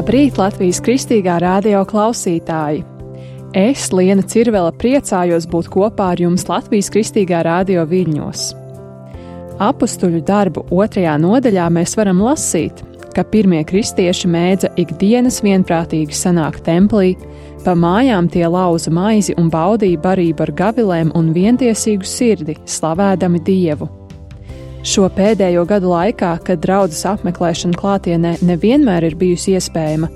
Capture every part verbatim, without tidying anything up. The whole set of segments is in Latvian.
Labrīt, Latvijas Kristīgā radio klausītāji! Es, Liena Cirvela, priecājos būt kopā ar jums Latvijas Kristīgā radio viļņos. Apustuļu darbu otrajā nodaļā mēs varam lasīt, ka pirmie kristieši mēdza ikdienas vienprātīgi sanākt templī, pa mājām tie lauza maizi un baudīja barību ar gavilēm un vientiesīgu sirdi, slavēdami Dievu. Šo pēdējo gadu laikā, kad draudzes apmeklēšana klātienē nevienmēr ir bijusi iespējama,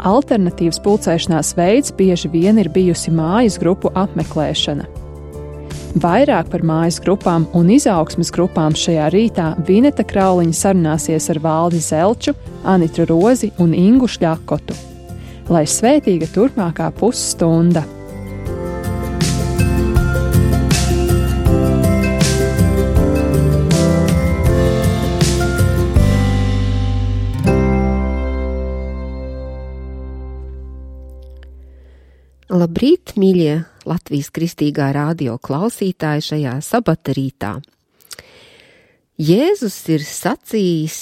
alternatīvs pulcēšanās veids bieži vien ir bijusi mājas grupu apmeklēšana. Vairāk par mājas grupām un izaugsmes grupām šajā rītā Vineta Krauliņa sarunāsies ar Valdi Zelču, Anitu Rozi un Ingu Šļakotu. Lai svētīga turpmākā pusstunda! Labrīt, mīļie Latvijas Kristīgā radio klausītāji šajā sabata rītā. Jēzus ir sacījis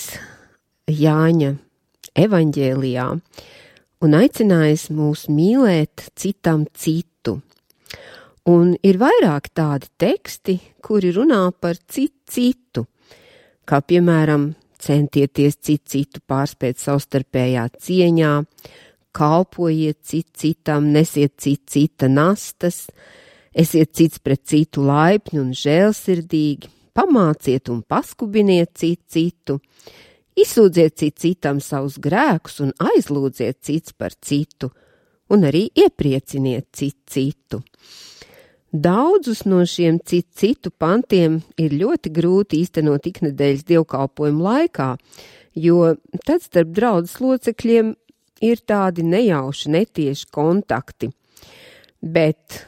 Jāņa evaņģēlijā un aicinājis mūs mīlēt citam citu. Un ir vairāk tādi teksti, kuri runā par citu citu, kā piemēram centieties citu citu pārspēt savstarpējā cieņā, kalpojiet cit citam, nesiet cit cita nastas, esiet cits pret citu laipni un žēlsirdīgi, pamāciet un paskubiniet cit citu, izsūdziet cit citam savus grēkus un aizlūdziet cits par citu, un arī ieprieciniet cit citu. Daudzus no šiem cit citu pantiem ir ļoti grūti īstenot iknedēļas dievkalpojumu laikā, jo tad starp draudzes locekļiem ir tādi nejauši, netieši kontakti, bet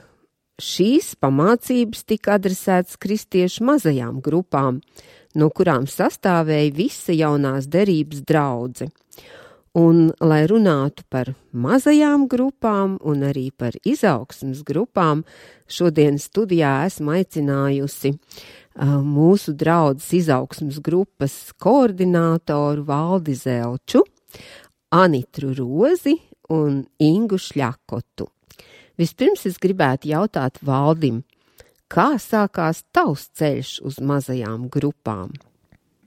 šīs pamācības tika adresētas kristiešu mazajām grupām, no kurām sastāvēja visa jaunās derības draudze. Un, lai runātu par mazajām grupām un arī par izaugsmes grupām, šodien studijā esmu aicinājusi uh, mūsu draudzes izaugsmes grupas koordinātoru Valdi Zelču, Anitu Rozi un Ingu Šļakotu. Vispirms es gribētu jautāt Valdim, kā sākās tavs ceļš uz mazajām grupām?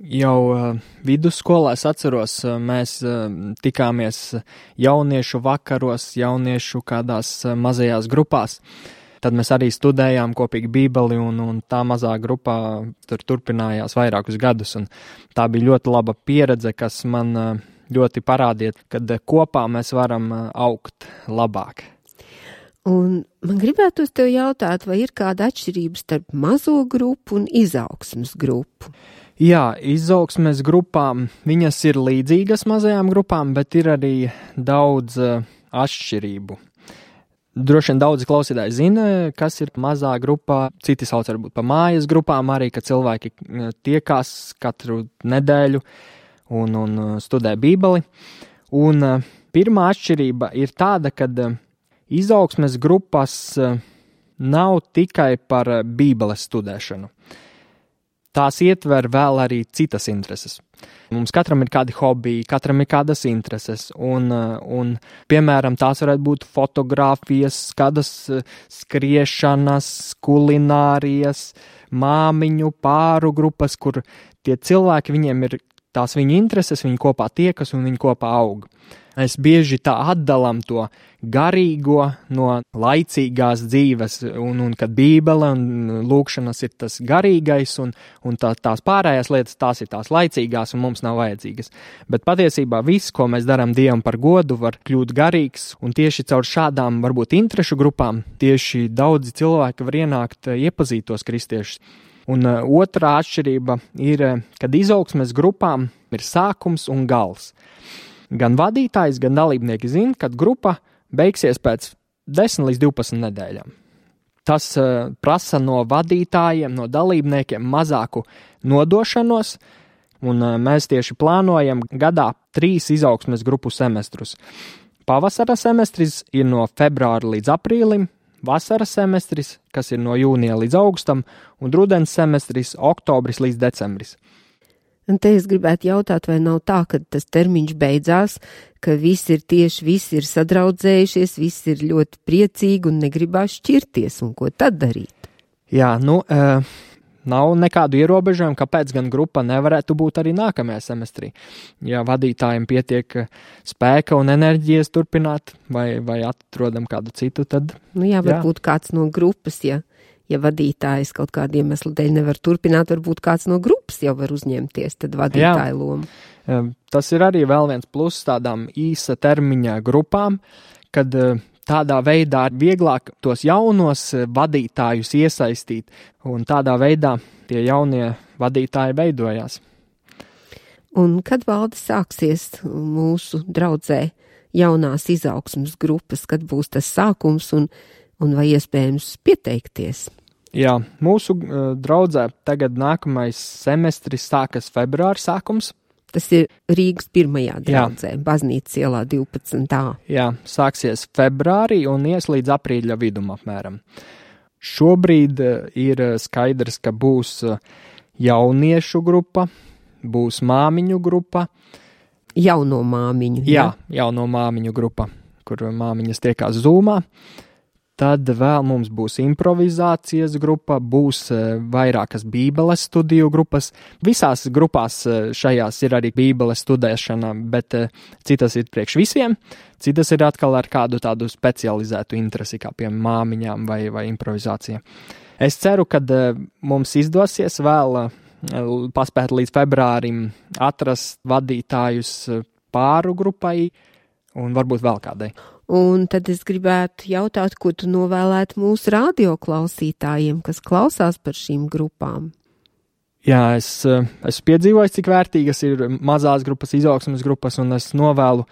Jau uh, vidusskolā es atceros, uh, mēs uh, tikāmies jauniešu vakaros, jauniešu kādās uh, mazajās grupās. Tad mēs arī studējām kopīgi Bībeli un, un tā mazā grupā tur turpinājās vairākus gadus. Un tā bija ļoti laba pieredze, kas man uh, ļoti parādiet, kad kopā mēs varam augt labāk. Un man gribētos tev jautāt, vai ir kāda atšķirība starp mazo grupu un izaugsmes grupu? Jā, izaugsmes grupām, viņas ir līdzīgas mazajām grupām, bet ir arī daudz uh, atšķirību. Droši vien daudzi klausītāji zina, kas ir mazā grupā, citi sauc varbūt pa mājas grupām arī, ka cilvēki tiekās katru nedēļu un, un studē Bībeli. Un uh, pirmā atšķirība ir tāda, ka uh, izaugsmes grupas uh, nav tikai par uh, Bībeles studēšanu. Tās ietver vēl arī citas intereses. Mums katram ir kādi hobiji, katram ir kādas intereses, un, uh, un piemēram, tās varētu būt fotogrāfijas, kādas uh, skriešanas, kulinārijas, māmiņu, pāru grupas, kur tie cilvēki, viņiem ir tās viņa intereses, viņi kopā tiekas un viņi kopā aug. Mēs bieži tā atdalam to garīgo no laicīgās dzīves, un, un kad Bībele un lūkšanas ir tas garīgais, un, un tā, tās pārējās lietas, tās ir tās laicīgās un mums nav vajadzīgas. Bet patiesībā viss, ko mēs darām Dievam par godu, var kļūt garīgs, un tieši caur šādām varbūt interešu grupām tieši daudzi cilvēki var ienākt, iepazīt tos kristiešus. Un uh, otrā atšķirība ir, kad izaugsmes grupām ir sākums un gals. Gan vadītājs, gan dalībnieki zina, kad grupa beigsies pēc desmit līdz divpadsmit nedēļām. Tas uh, prasa no vadītājiem, no dalībniekiem mazāku nodošanos, un uh, mēs tieši plānojam gadā trīs izaugsmes grupu semestrus. Pavasara semestris ir no februāra līdz aprīlim, vasaras semestris, kas ir no jūnija līdz augustam, un rudens semestris oktobris līdz decembris. Un te es gribētu jautāt, vai nav tā, ka tas termiņš beidzās, ka visi ir tieši, visi ir sadraudzējušies, visi ir ļoti priecīgi un negribās šķirties, un ko tad darīt? Jā, nu, uh, nav nekādu ierobežojumu, kāpēc gan grupa nevarētu būt arī nākamajā semestrī. Ja vadītājiem pietiek spēka un enerģijas turpināt, vai, vai atrodam kādu citu, tad... Nu jā, varbūt jā. Kāds no grupas, ja... Ja vadītājs kaut kādu iemeslu dēļ nevar turpināt, varbūt kāds no grupas jau var uzņemties, tad vadītāja lomu. Tas ir arī vēl viens pluss tādām īsa termiņa grupām, kad tādā veidā ir vieglāk tos jaunos vadītājus iesaistīt, un tādā veidā tie jaunie vadītāji veidojās. Un kad valde sāksies mūsu draudzē jaunās izaugsmes grupas, kad būs tas sākums un un vai iespējams pieteikties? Jā, mūsu uh, draudzē tagad nākamais semestris sākas februāra sākums. Tas ir Rīgas pirmajā draudzē, Jā. Baznīcas ielā divpadsmit A. Jā, sāksies februārī un ies līdz aprīļa vidum apmēram. Šobrīd uh, ir skaidrs, ka būs uh, jauniešu grupa, būs māmiņu grupa. Jauno māmiņu. Jā, jā jauno māmiņu grupa, kur māmiņas tiekās Zoomā. Tad vēl mums būs improvizācijas grupa, būs vairākas bībeles studiju grupas. Visās grupās šajās ir arī bībeles studēšana, bet citas ir priekš visiem, citas ir atkal ar kādu tādu specializētu interesi, kā piemēram māmiņām vai, vai improvizācija. Es ceru, ka mums izdosies vēl paspēt līdz februārim atrast vadītājus pāru grupai un varbūt vēl kādai. Un tad es gribētu jautāt, ko tu novēlētu mūsu radioklausītājiem, kas klausās par šīm grupām? Jā, es esmu piedzīvojis, cik vērtīgas ir mazās grupas, izaugsmes grupas, un es novēlu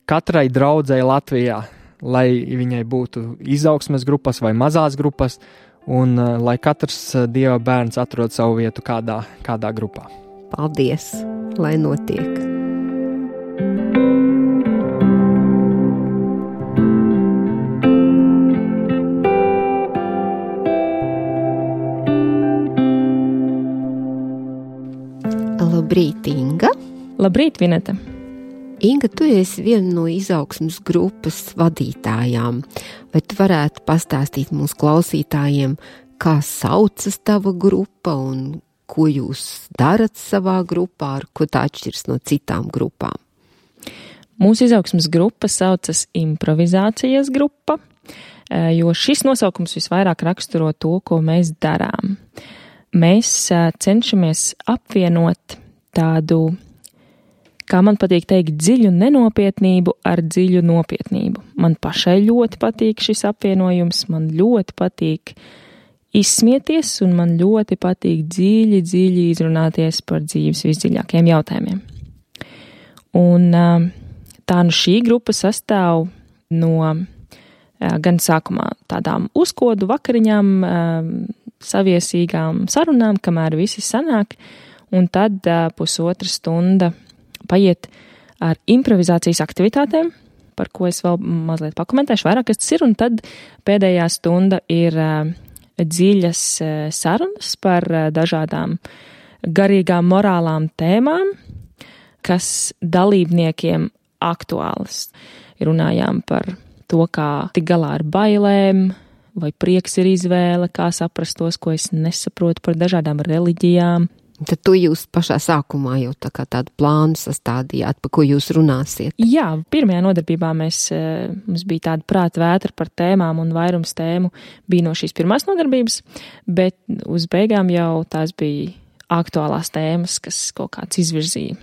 katrai draudzei Latvijā, lai viņai būtu izaugsmes grupas vai mazās grupas, un lai katrs Dieva bērns atrod savu vietu kādā, kādā grupā. Paldies, lai notiek! Labrīt, Inga. Labrīt, Vineta. Inga, tu esi viena no izaugsmes grupas vadītājām. Vai tu varētu pastāstīt mūsu klausītājiem, kā saucas tava grupa un ko jūs darat savā grupā, ar ko tā atšķiras no citām grupām? Mūsu izaugsmes grupa saucas improvizācijas grupa, jo šis nosaukums visvairāk raksturo to, ko mēs darām. Mēs cenšamies apvienot tādu, kā man patīk teikt, dziļu nenopietnību ar dziļu nopietnību. Man pašai ļoti patīk šis apvienojums, man ļoti patīk izsmieties un man ļoti patīk dziļi, dziļi izrunāties par dzīves visdziļākajiem jautājumiem. Un tā nu šī grupa sastāv no gan sākumā tādām uzkodu vakariņām, saviesīgām sarunām, kamēr visi sanāk, un tad pusotra stunda paiet ar improvizācijas aktivitātēm, par ko es vēl mazliet pakomentēšu vairāk, kas tas ir, un tad pēdējā stunda ir dziļas sarunas par dažādām garīgām morālām tēmām, kas dalībniekiem aktuālas. Runājām par to, kā tik galā ar bailēm, vai prieks ir izvēle, kā saprast tos, ko es nesaprotu par dažādām reliģijām. Tad to jūs pašā sākumā jau tā kā tādu plānu sastādījāt, pa ko jūs runāsiet? Jā, pirmajā nodarbībā mēs, mums bija tāda prāta vētra par tēmām un vairums tēmu bija no šīs pirmās nodarbības, bet uz beigām jau tās bija aktuālās tēmas, kas kaut kāds izvirzīja.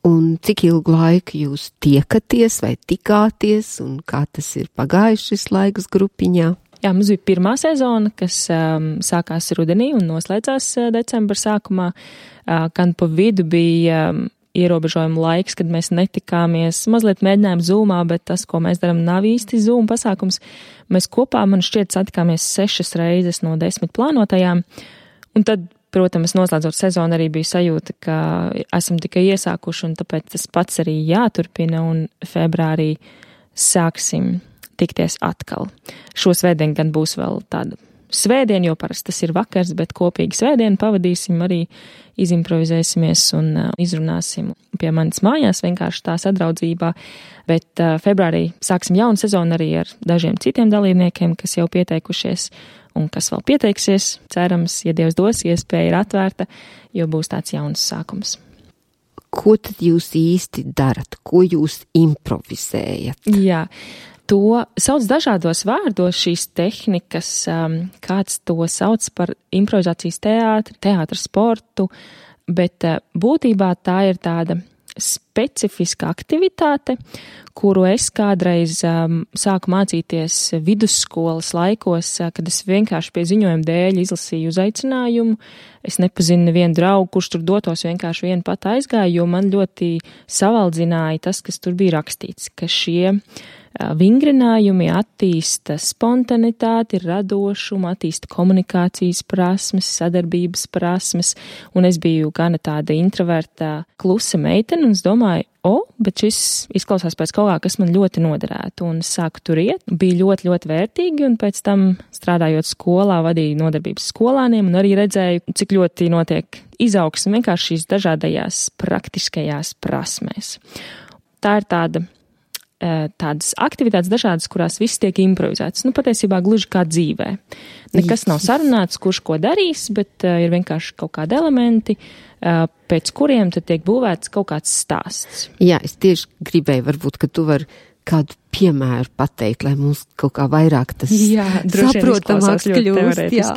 Un cik ilgu laiku jūs tiekaties vai tikāties un kā tas ir pagājis šis laiks grupiņā? Jā, mums bija pirmā sezona, kas um, sākās rudenī un noslēdzās uh, decembra sākumā. Uh, gan pa vidu bija um, ierobežojuma laiks, kad mēs netikāmies. Mazliet mēģinājām Zoomā, bet tas, ko mēs darām, nav īsti Zoom pasākums. Mēs kopā, man šķiet, satikāmies sešas reizes no desmit plānotajām. Un tad, protams, noslēdzot sezonu arī bija sajūta, ka esam tikai iesākuši un tāpēc tas pats arī jāturpina un februārī sāksim tikties atkal. Šo svētdienu gan būs vēl tāda svētdien, jo parasti tas ir vakars, bet kopīgi svētdienu pavadīsim, arī izimprovizēsimies un uh, izrunāsim pie manis mājās vienkārši tā sadraudzībā. Bet uh, februārī sāksim jaunu sezonu arī ar dažiem citiem dalībniekiem, kas jau pieteikušies un kas vēl pieteiksies. Cerams, ja Dievs dos, iespēja ir atvērta, jo būs tāds jauns sākums. Ko tad jūs īsti darat? Ko jūs improvizējat? Jā, to sauc dažādos vārdos šīs tehnikas, um, kāds to sauc par improvizācijas teātri, teātra sportu, bet uh, būtībā tā ir tāda specifiska aktivitāte, kuru es kādreiz um, sāku mācīties vidusskolas laikos, uh, kad es vienkārši pie ziņojuma dēļ izlasīju uzaicinājumu. Es nepazinu nevienu draugu, kurš tur dotos, vienkārši vienu pat aizgāju, jo man ļoti savaldzināja tas, kas tur bija rakstīts, ka šie vingrinājumi attīsta spontanitāti, radošumu, attīsta komunikācijas prasmes, sadarbības prasmes, un es biju gana tāda introverta, klusa meitene, un es domāju, o, bet šis izklausās pēc kaut kā, kas man ļoti noderētu, un es sāku tur iet, bija ļoti, ļoti vērtīgi, un pēc tam strādājot skolā, vadīju nodarbības skolāniem, un arī redzēju, cik ļoti notiek izaugsme vienkārši šīs dažādajās praktiskajās prasmēs. Tā ir tāda tādas aktivitātes dažādas, kurās viss tiek improvizēts. Nu, patiesībā gluži kā dzīvē. Nekas nav sarunāts, kurš ko darīs, bet uh, ir vienkārši kaut kādi elementi, uh, pēc kuriem tad tiek būvēts kaut kāds stāsts. Jā, es tieši gribēju, varbūt, ka tu vari kādu piemēru pateikt, lai mums kaut kā vairāk tas jā, saprotamāks kļūst. Jā.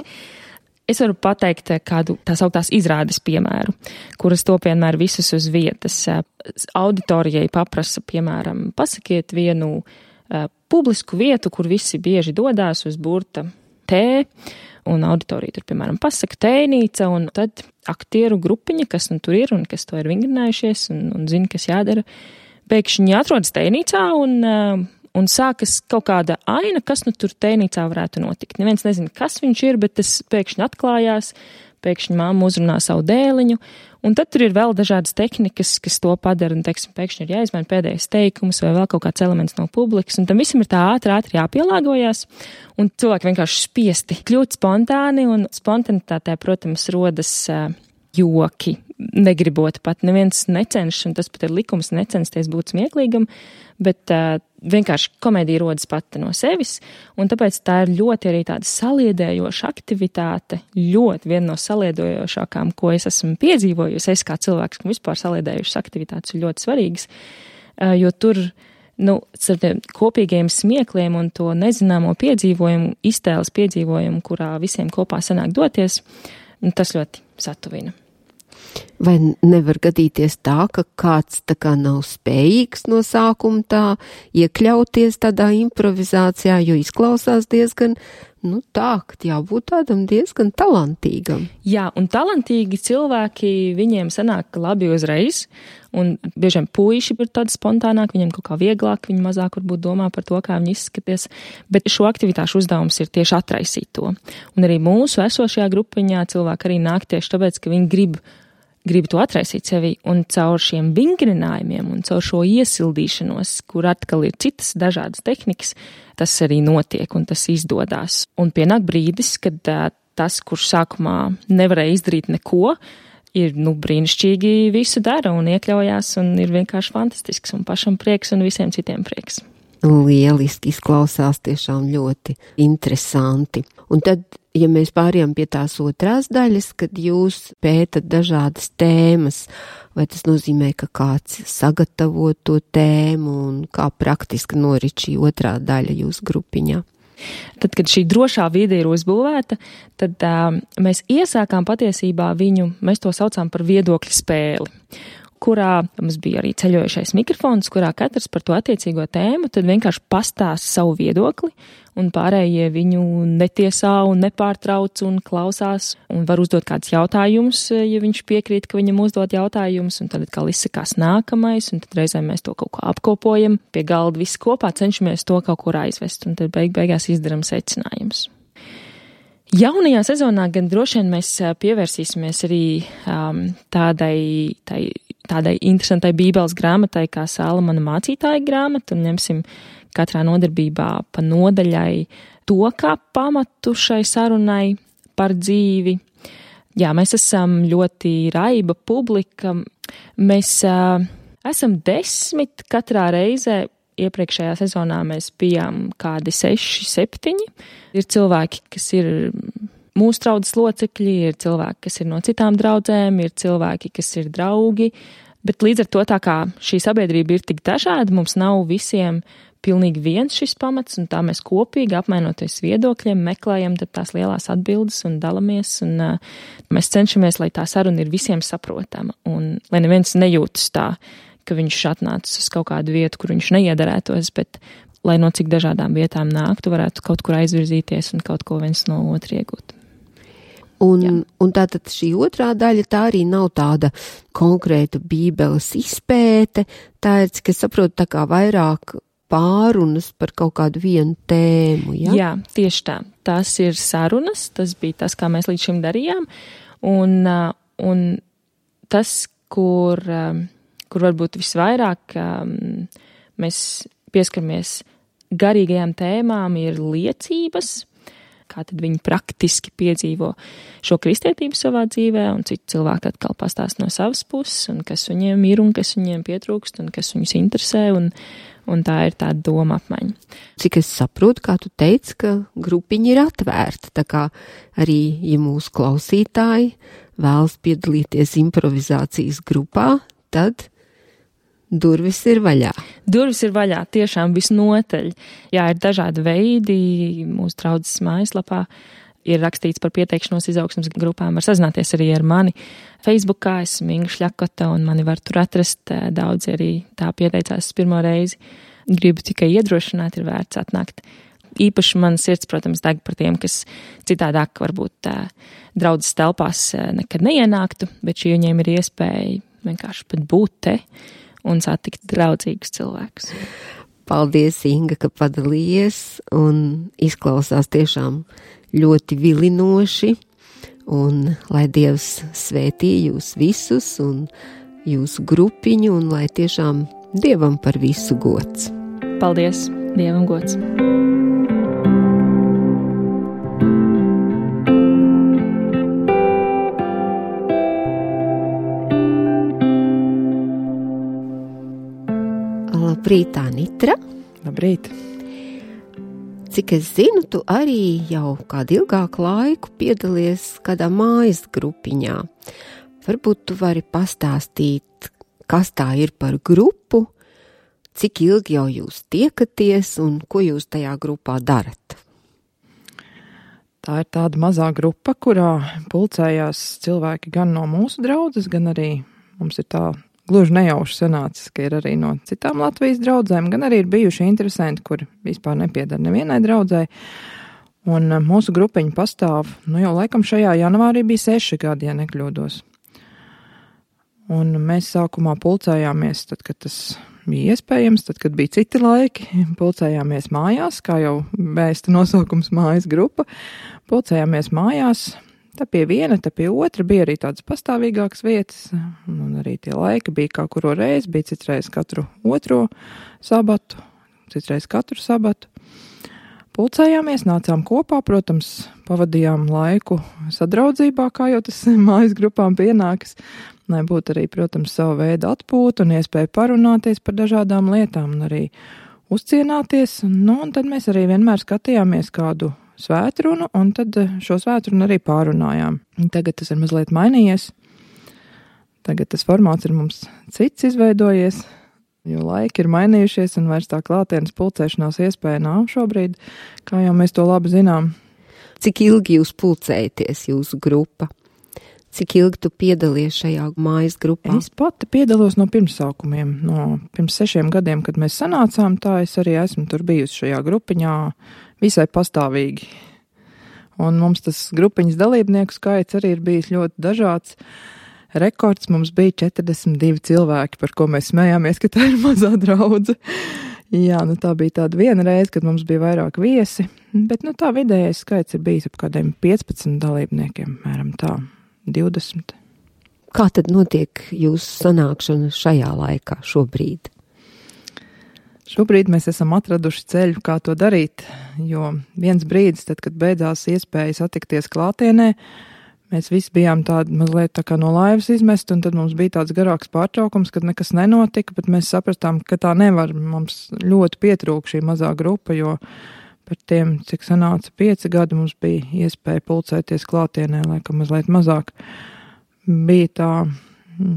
Es varu pateikt kādu tās augtās izrādes piemēru, kuras to vienmēr visus uz vietas. Auditorijai paprasa, piemēram, pasakiet vienu uh, publisku vietu, kur visi bieži dodās uz burta T, un auditorija tur, piemēram, pasaka tēnīca, un tad aktieru grupiņa, kas nu tur ir un kas to ir vingrinājušies un, un zina, kas jādara, pēkšņi atrodas tēnīcā un uh, Un sākas kaut kāda aina, kas nu tur tēnīcā varētu notikt. Neviens nezina, kas viņš ir, bet tas pēkšņi atklājās, pēkšņi māma uzrunā savu dēliņu, un tad tur ir vēl dažādas tehnikas, kas to padara, un, teiksim, pēkšņi ir jāizmaina pēdējais teikums vai vēl kaut kāds elements no publikas, un tam visam ir tā ātri, ātri jāpielāgojas, un cilvēki vienkārši spiesti kļūt spontāni, un spontanitātē, protams, rodas uh, joki, negribot pat, neviens necenšas, un tas pat ir likums necensties būt smieklīgam, bet uh, vienkārši komēdija rodas pati no sevis, un tāpēc tā ir ļoti arī tāda saliedējoša aktivitāte, ļoti viena no saliedējošākām, ko es esmu piedzīvojusi. Es kā cilvēks, kam vispār saliedējušas aktivitātes ir ļoti svarīgas, jo tur, nu, ar tiem kopīgiem smiekliem un to nezināmo piedzīvojumu, iztēles piedzīvojumu, kurā visiem kopā sanāk doties, tas ļoti satuvina. Vai nevar gadīties tā, ka kāds tā kā nav spējīgs no sākuma tā iekļauties tādā improvizācijā, jo izklausās diezgan, nu tā, ka jābūt tādam diezgan talantīgam. Jā, un talantīgi cilvēki, viņiem sanāk labi uzreiz, un bieži vien puiši ir tādi spontānāk, viņiem kaut kā vieglāk, viņi mazāk varbūt domā par to, kā viņi izskaties, bet šo aktivitāšu uzdevums ir tieši atraisīt to. Un arī mūsu esošajā grupiņā cilvēki arī nāk tieši tāpēc, ka viņi grib grib to atraisīt sevi, un caur šiem vingrinājumiem un caur šo iesildīšanos, kur atkal ir citas dažādas tehnikas, tas arī notiek un tas izdodās. Un pienāk brīdis, kad uh, tas, kurš sākumā nevarēja izdarīt neko, ir, nu, brīnišķīgi visu dara un iekļaujās un ir vienkārši fantastisks un pašam prieks un visiem citiem prieks. Lieliski izklausās, tiešām ļoti interesanti. Un tad, ja mēs pārējām pie tās otrās daļas, kad jūs pētat dažādas tēmas, vai tas nozīmē, ka kāds sagatavo to tēmu un kā praktiski norit šī otrā daļa jūsu grupiņā? Tad, kad šī drošā vide ir uzbūvēta, tad uh, mēs iesākām patiesībā viņu, mēs to saucām par viedokļu spēli, kurā mums bija arī ceļojošais mikrofons, kurā katrs par to attiecīgo tēmu tad vienkārši pastāsta savu viedokli, un pārējie viņu netiesā un nepārtrauc un klausās, un var uzdot kādus jautājumus, ja viņš piekrīt, ka viņam uzdot jautājumus, un tad atkal izsakās nākamais, un tad reizēm mēs to kaut ko apkopojam, pie galda visi kopā cenšamies to kaut kur aizvest, un tad beig beigās izdaram secinājumus. Jaunajā sezonā gan droši vien mēs pievērsīsimies arī um, tādai, tai, tādai interesantai bībeles grāmatai kā Salamana mācītāja grāmata un ņemsim katrā nodarbībā pa nodaļai to kā pamatu šai sarunai par dzīvi. Jā, mēs esam ļoti raiba publika. Mēs uh, esam desmit katrā reizē. Iepriekšējā sezonā mēs bijām kādi seši, septiņi. Ir cilvēki, kas ir mūsu draudzes locekļi, ir cilvēki, kas ir no citām draudzēm, ir cilvēki, kas ir draugi, bet līdz ar to tā kā šī sabiedrība ir tik dažāda, mums nav visiem pilnīgi viens šis pamats, un tā mēs kopīgi apmainoties viedokļiem, meklējam tās lielās atbildes un dalamies, un uh, mēs cenšamies, lai tā saruna ir visiem saprotama, un lai neviens nejūtas tā, ka viņš atnācis uz kaut kādu vietu, kur viņš neiedarētos, bet lai no cik dažādām vietām nāktu, varētu kaut kur aizvirzīties un kaut ko viens no otra iegūt. Un, un tātad šī otrā daļa, tā arī nav tāda konkrēta bībeles izpēte, tā ir, cik es saprotu, tā kā vairāk pārunas par kaut kādu vienu tēmu, ja? Jā, tieši tā. Tās ir sarunas, tas bija tas, kā mēs līdz šim darījām, un, un tas, kur, kur varbūt visvairāk mēs pieskaramies garīgajām tēmām, ir liecības, kā tad viņi praktiski piedzīvo šo kristietību savā dzīvē, un citi cilvēki atkal pastāst no savas puses, un kas viņiem ir, un kas viņiem pietrūkst, un kas viņus interesē, un, un tā ir tāda doma apmaiņa. Cik es saprotu, kā tu teici, ka grupiņa ir atvērta, tā kā arī, ja mūsu klausītāji vēlas piedalīties improvizācijas grupā, tad durvis ir vaļā. Durvis ir vaļā, tiešām visnotaļ. Jā, ir dažādi veidi. Mūsu draudzes mājaslapā ir rakstīts par pieteikšanos izaugsmes grupām. Var sazināties arī ar mani Facebookā. Esmu Inga Šļakota un mani var tur atrast. Daudzi arī tā pieteicās pirmo reizi. Gribu tikai iedrošināt, ir vērts atnākt. Īpaši man sirds, protams, deg par tiem, kas citādāk varbūt draudzes telpās nekad neienāktu, bet šī viņiem ir iespēja vienkārši pat būt te un satikt draudzīgus cilvēkus. Paldies, Inga, ka padalījies, un izklausās tiešām ļoti vilinoši, un lai Dievs svētī jūs visus un jūsu grupiņu, un lai tiešām Dievam par visu gods. Paldies, Dievam gods. Labrīt, Anitra. Labrīt. Cik es zinu, tu arī jau kādu ilgāku laiku piedalies kādā mājas grupiņā. Varbūt tu vari pastāstīt, kas tā ir par grupu, cik ilgi jau jūs tiekaties un ko jūs tajā grupā darat? Tā ir tāda mazā grupa, kurā pulcējās cilvēki gan no mūsu draudzes, gan arī mums ir tā gluži nejauši sanācis, ka ir arī no citām Latvijas draudzēm, gan arī ir bijuši interesanti, kuri vispār nepiedara nevienai draudzei. Un mūsu grupiņa pastāv, nu jau laikam šajā janvārī bija seši gadi, ja nekļūdos. Un mēs sākumā pulcējāmies, tad, kad tas bija iespējams, tad, kad bija citi laiki, pulcējāmies mājās, kā jau vēsta nosaukums mājas grupa, pulcējāmies mājās. Tā pie viena, tā pie otra bija arī tādas pastāvīgākas vietas, un arī tie laiki bija kā kuro reizi, bija citreiz katru otro sabatu, citreiz katru sabatu. Pulcējāmies, nācām kopā, protams, pavadījām laiku sadraudzībā, kā jau tas mājas grupām pienākas, lai būtu arī, protams, savu veidu atpūta un iespēja parunāties par dažādām lietām un arī uzcienāties, nu, un tad mēs arī vienmēr skatījāmies kādu svētrunu, un tad šo svētrunu arī pārunājām. Tagad tas ir mazliet mainījies. Tagad tas formāts ir mums cits izveidojies, jo laiki ir mainījušies, un vairs tā klātienes pulcēšanās iespēja nav šobrīd, kā jau mēs to labi zinām. Cik ilgi jūs pulcējaties, jūsu grupa? Cik ilgi tu piedalies šajā mājas grupā? Es pati piedalos no pirmsākumiem, no pirms sešiem gadiem, kad mēs sanācām, tā es arī esmu tur bijusi šajā grupiņā visai pastāvīgi. Un mums tas grupiņas dalībnieku skaits arī ir bijis ļoti dažāds. Rekords mums bija četrdesmit divi cilvēki, par ko mēs smējāmies, ka tā ir mazā draudze. Jā, nu tā bija tāda viena reize, kad mums bija vairāk viesi, bet nu tā vidējais skaits ir bijis ap kādiem piecpadsmit dalībniekiem, mēram tā. divdesmit. Kā tad notiek jūsu sanākšana šajā laikā šobrīd? Šobrīd mēs esam atraduši ceļu, kā to darīt, jo viens brīdis, tad, kad beidzās iespēja satikties klātienē, mēs visi bijām tādi mazliet tā kā no laivas izmest, un tad mums bija tāds garāks pārtraukums, kad nekas nenotika, bet mēs sapratām, ka tā nevar. Mums ļoti pietrūka šī mazā grupa, jo par tiem, cik sanāca pieci gadi, mums bija iespēja pulcēties klātienē, laikam mazliet mazāk. Bija tā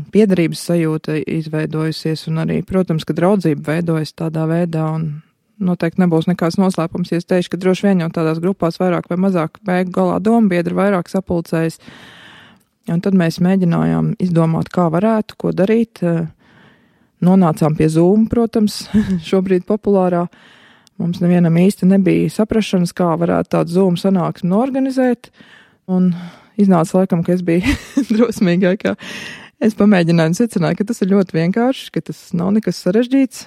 piederības sajūta izveidojusies, un arī, protams, ka draudzība veidojas tādā veidā, un noteikti nebūs nekāds noslēpums, ja es teikšu, ka droši vien jau tādās grupās vairāk vai mazāk beigu galā dombiedri vairāk sapulcējas, un tad mēs mēģinājām izdomāt, kā varētu, ko darīt. Nonācām pie Zoom, protams, šobrīd populārā. Mums nevienam īsti nebija saprašanas, kā varētu tādu Zoom sanāksmi norganizēt, un iznāca laikam, ka es biju drosmīgākā. Es pamēģināju un secināju, ka tas ir ļoti vienkārši, ka tas nav nekas sarežģīts.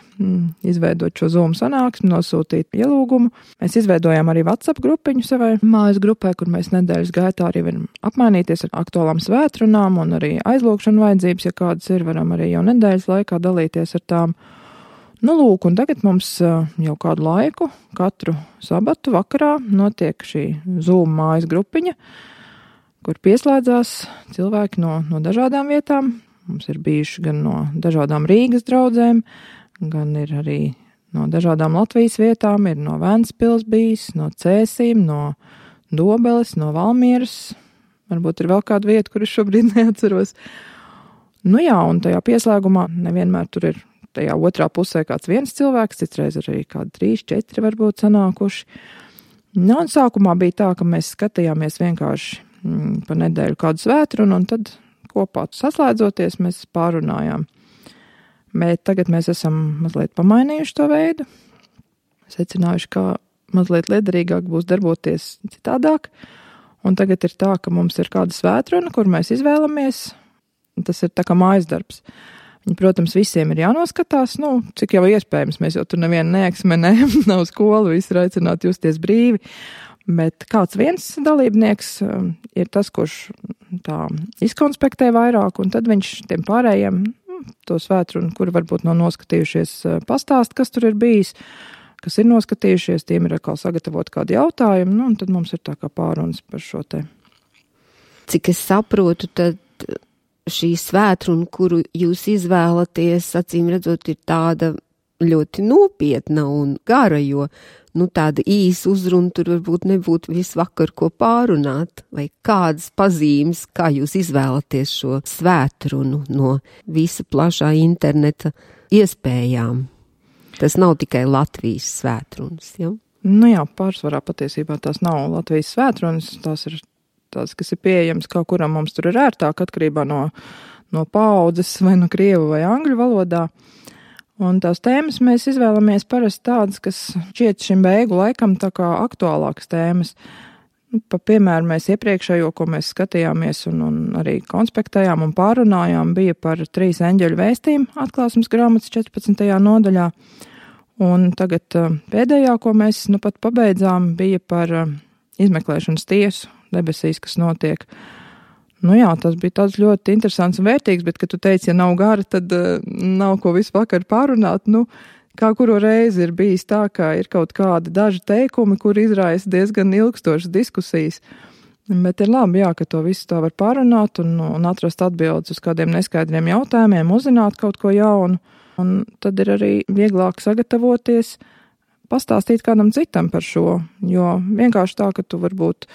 Izveidot šo Zoom sanāksmi, nosūtīt ielūgumu. Mēs izveidojām arī WhatsApp grupiņu savai mājas grupai, kur mēs nedēļas gaitā arī varam apmainīties ar aktuālām svētrunām un arī aizlūgšanu vajadzības, ja kādas ir, varam arī jau nedēļas laikā dalīties ar tām. Nu, lūk, un tagad mums jau kādu laiku, katru sabatu vakarā notiek šī Zoom mājas grupiņa, kur pieslēdzās cilvēki no, no dažādām vietām. Mums ir bijuši gan no dažādām Rīgas draudzēm, gan ir arī no dažādām Latvijas vietām, ir no Ventspils bijis, no Cēsīm, no Dobeles, no Valmieras. Varbūt ir vēl kāda vieta, kur es šobrīd neatceros. Nu jā, un tajā pieslēgumā nevienmēr tur ir tajā otrā pusē kāds viens cilvēks, citreiz arī kādi trīs, četri varbūt sanākuši. Nu, un sākumā bija tā, ka mēs skatījāmies vienkārši pa nedēļu kādu svētrunu, un tad kopā saslēdzoties mēs pārunājām. Bet tagad mēs esam mazliet pamainījuši to veidu, secinājuši, kā mazliet liederīgāk būs darboties citādāk, un tagad ir tā, ka mums ir kāda svētruna, kur mēs izvēlamies, tas ir tā kā mājas darbs. Viņi, protams, visiem ir jānoskatās, nu, cik jau iespējams, mēs jau tur nevienu neeksmenējam, nav skola, visi ir aicināti justies brīvi. Bet kāds viens dalībnieks ir tas, kurš tā izkonspektē vairāk, un tad viņš tiem pārējiem to svētrunu, kuri varbūt nav noskatījušies, pastāst, kas tur ir bijis, kas ir noskatījušies, tiem ir atkal sagatavot kādu jautājumu, nu, un tad mums ir tā kā pārunas par šo te. Cik es saprotu, tad šī svētruna, kuru jūs izvēlaties, acīm redzot, ir tāda ļoti nopietna un gara, jo, nu, tāda īsa uzruna tur varbūt nebūtu visu vakar ko pārunāt, vai kādas pazīmes, kā jūs izvēlaties šo svētrunu no visa plašā interneta iespējām. Tas nav tikai Latvijas svētrunas, ja? Nu jā, pārsvarā patiesībā tās nav Latvijas svētrunas, tās ir tās, kas ir pieejams, kā kuram mums tur ir ērtāk, atkarībā no, no paaudzes vai no krievu vai angļu valodā. Un tās tēmas mēs izvēlamies parasti tādas, kas šķiet šim beigu laikam tā kā aktuālākas tēmas. Nu, pa piemēru mēs iepriekšējo, ko mēs skatījāmies un, un arī konspektējām un pārunājām, bija par trīs eņģeļu vēstījumu atklāsmes grāmatas četrpadsmitajā nodaļā. Un tagad pēdējā, ko mēs nu pat pabeidzām, bija par izmeklēšanas tiesu debesīs, kas notiek. Nu jā, tas bija tāds ļoti interesants un vērtīgs, bet, kad tu teici, ja nav gara, tad uh, nav ko visu vakar pārunāt. Nu, kā kuru reizi ir bijis tā, ka ir kaut kādi daži teikumi, kur izraisa diezgan ilgstošas diskusijas. Bet ir labi, jā, ka to visu tā var pārunāt un, un atrast atbildes uz kādiem neskaidriem jautājumiem, uzzināt kaut ko jaunu. Un tad ir arī vieglāk sagatavoties, pastāstīt kādam citam par šo, jo vienkārši tā, ka tu varbūt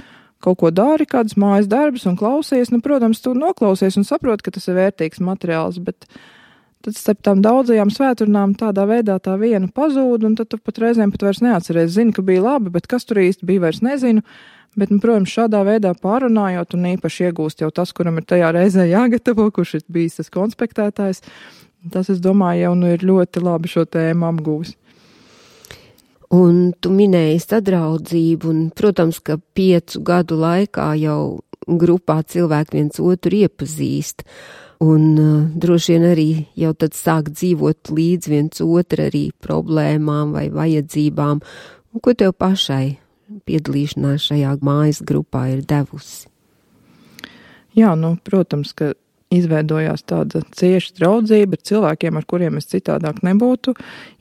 kaut ko dari, kādas mājas darbus un klausies, nu, protams, tu noklausies un saproti, ka tas ir vērtīgs materiāls, bet tad starp tām daudzajām svēturnām tādā veidā tā viena pazūd, un tad tu pat reizēm pat vairs neatceries. Zini, ka bija labi, bet kas tur īsti bija, vairs nezinu. Bet, nu, protams, šādā veidā pārunājot un īpaši iegūst jau tas, kuram ir tajā reizē jāgatavo, kurš ir bijis tas konspektētājs, tas, es domāju, jau nu ir ļoti labi šo tēmu apgūs. Un tu minēji sadraudzību, un, protams, ka piecu gadu laikā jau grupā cilvēki viens otru iepazīst, un uh, droši vien arī jau tad sāk dzīvot līdz viens otru arī problēmām vai vajadzībām. Un ko tev pašai piedalīšanās šajā mājas grupā ir devusi? Jā, nu, protams, ka izveidojās tāda cieša draudzība ar cilvēkiem, ar kuriem es citādāk nebūtu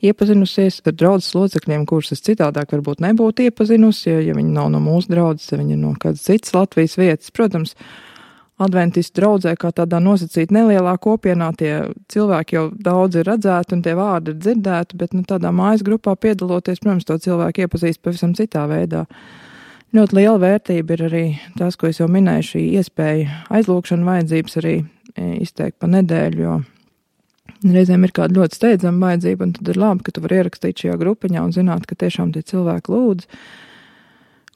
iepazinusies, ar draudzes locekļiem, kurus es citādāk varbūt nebūtu iepazinusi, ja, ja viņi nav no mūsu draudzes, ja viņi ir no kādas citas Latvijas vietas. Protams, adventistu draudzē, kā tādā nosacīt nelielā kopienā, tie cilvēki jau daudz ir redzēti un tie vārdi ir dzirdēti, bet nu, tādā mājas grupā piedaloties, protams, to cilvēku iepazīst pavisam citā veidā. Ļoti liela vērtība ir arī tas, ko es jau minēju, šī iespēja aizlūgšana vajadzības arī izteikt pa nedēļu, jo reizēm ir kāda ļoti steidzama vajadzība, un tad ir labi, ka tu vari ierakstīt šajā grupiņā un zināt, ka tiešām tie cilvēki lūdz.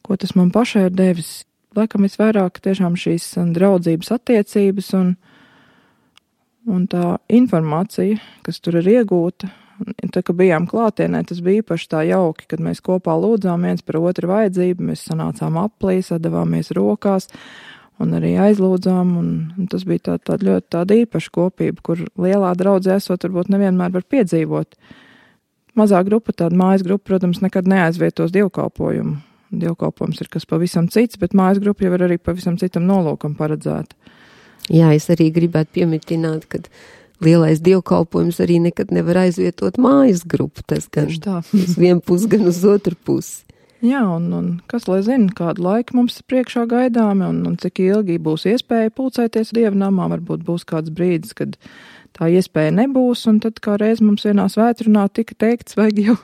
Ko tas man pašai ir devis? Laikam visvairāk tiešām šīs draudzības attiecības un, un tā informācija, kas tur ir iegūta. Tā, ka bijām klātienē, tas bija īpaši tā jauki, kad mēs kopā lūdzām viens par otru vajadzību, mēs sanācām aplī, sadavāmies rokās un arī aizlūdzām, un, un tas bija tā, tā ļoti tāda īpaša kopība, kur lielā draudzē esot varbūt nevienmēr var piedzīvot. Mazā grupa, tāda mājas grupa, protams, nekad neaizvietos dievkalpojumu. Dievkalpojums ir kas pavisam cits, bet mājas grupa jau ir arī pavisam citam nolūkam paredzēta. Jā, es arī gribētu piemitināt, ka lielais dievkalpojums arī nekad nevar aizvietot mājas grupu. Tas gan uz vienu pusi, gan uz otru pusi. Jā, un, un kas lai zina, kādu laiku mums priekšā gaidāmi un, un cik ilgi būs iespēja pulcēties dievnamā, varbūt būs kāds brīdis, kad tā iespēja nebūs, un tad kā reiz mums vienā svētrunā tika teikts, vajag jau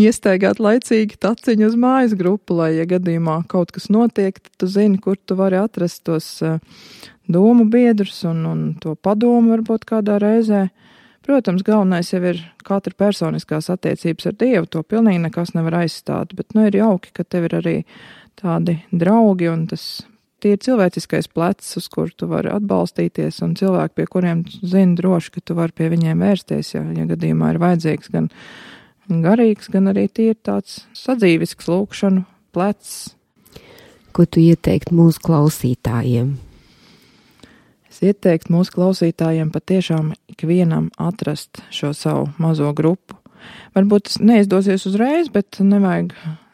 iestaigāt laicīgi taciņu uz mājas grupu, lai, ja gadījumā kaut kas notiek, tad tu zini, kur tu vari atrast tos uh, domu biedrus un, un to padomu varbūt kādā reizē. Protams, galvenais jau ir katra personiskās attiecības ar Dievu, to pilnīgi nekas nevar aizstāt, bet nu ir jauki, ka tev ir arī tādi draugi un tas tie ir cilvēciskais plecs, uz kur tu vari atbalstīties, un cilvēki, pie kuriem zini droši, ka tu vari pie viņiem vērsties, ja, ja gadījumā ir vajadzīgs gan garīgs, gan arī tie ir tāds sadzīvisks lūkšanu plecs. Ko tu ieteikt mūsu klausītājiem? Es ieteiktu mūsu klausītājiem patiešām ikvienam atrast šo savu mazo grupu. Varbūt tas neizdosies uzreiz, bet nevajag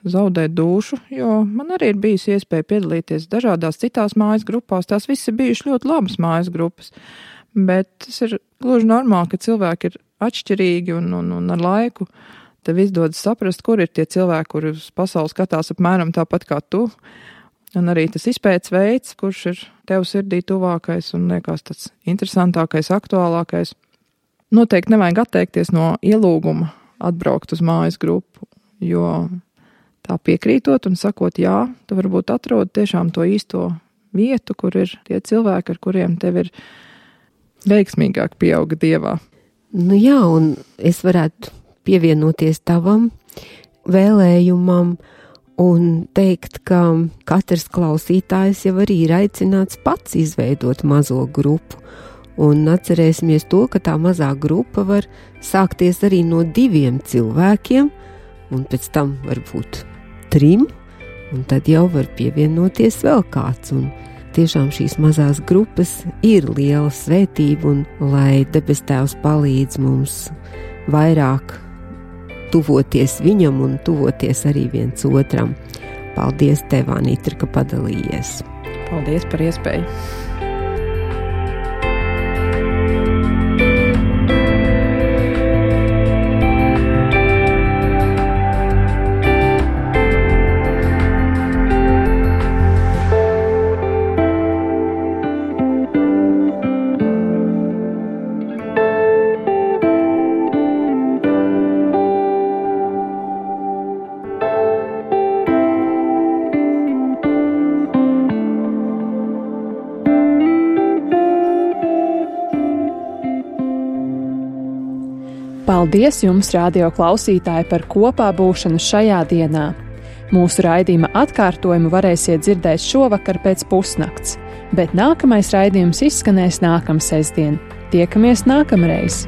zaudēt dušu, jo man arī ir bijusi iespēja piedalīties dažādās citās mājas grupās. Tās visas ir bijušas ļoti labas mājas grupas, bet tas ir gluži normāli, ka cilvēki ir atšķirīgi un, un, un ar laiku tev izdodas saprast, kur ir tie cilvēki, kuri uz pasauli skatās apmēram tāpat kā tu, un arī tas izpētes veids, kurš ir tev sirdī tuvākais un liekas tāds interesantākais, aktuālākais. Noteikti nevajag atteikties no ielūguma atbraukt uz mājas grupu, jo tā piekrītot un sakot jā, tu varbūt atrod tiešām to īsto vietu, kur ir tie cilvēki, ar kuriem tev ir veiksmīgāk pieauga Dievā. Nu jā, un es varētu pievienoties tavam vēlējumam un teikt, ka katrs klausītājs jau arī ir aicināts pats izveidot mazo grupu. Un atcerēsimies to, ka tā mazā grupa var sākties arī no diviem cilvēkiem, un pēc tam varbūt trim, un tad jau var pievienoties vēl kāds. Un tiešām šīs mazās grupas ir liela svētība, un lai debes Tēvs palīdz mums vairāk tuvoties viņam un tuvoties arī viens otram. Paldies Tev, Anitra, ka padalījies. Paldies par iespēju. Paldies jums, radio klausītāji, par kopā būšanu šajā dienā. Mūsu raidījuma atkārtojumu varēsiet dzirdēt šovakar pēc pusnakts, bet nākamais raidījums izskanēs nākamsestdien. Tiekamies nākamreiz!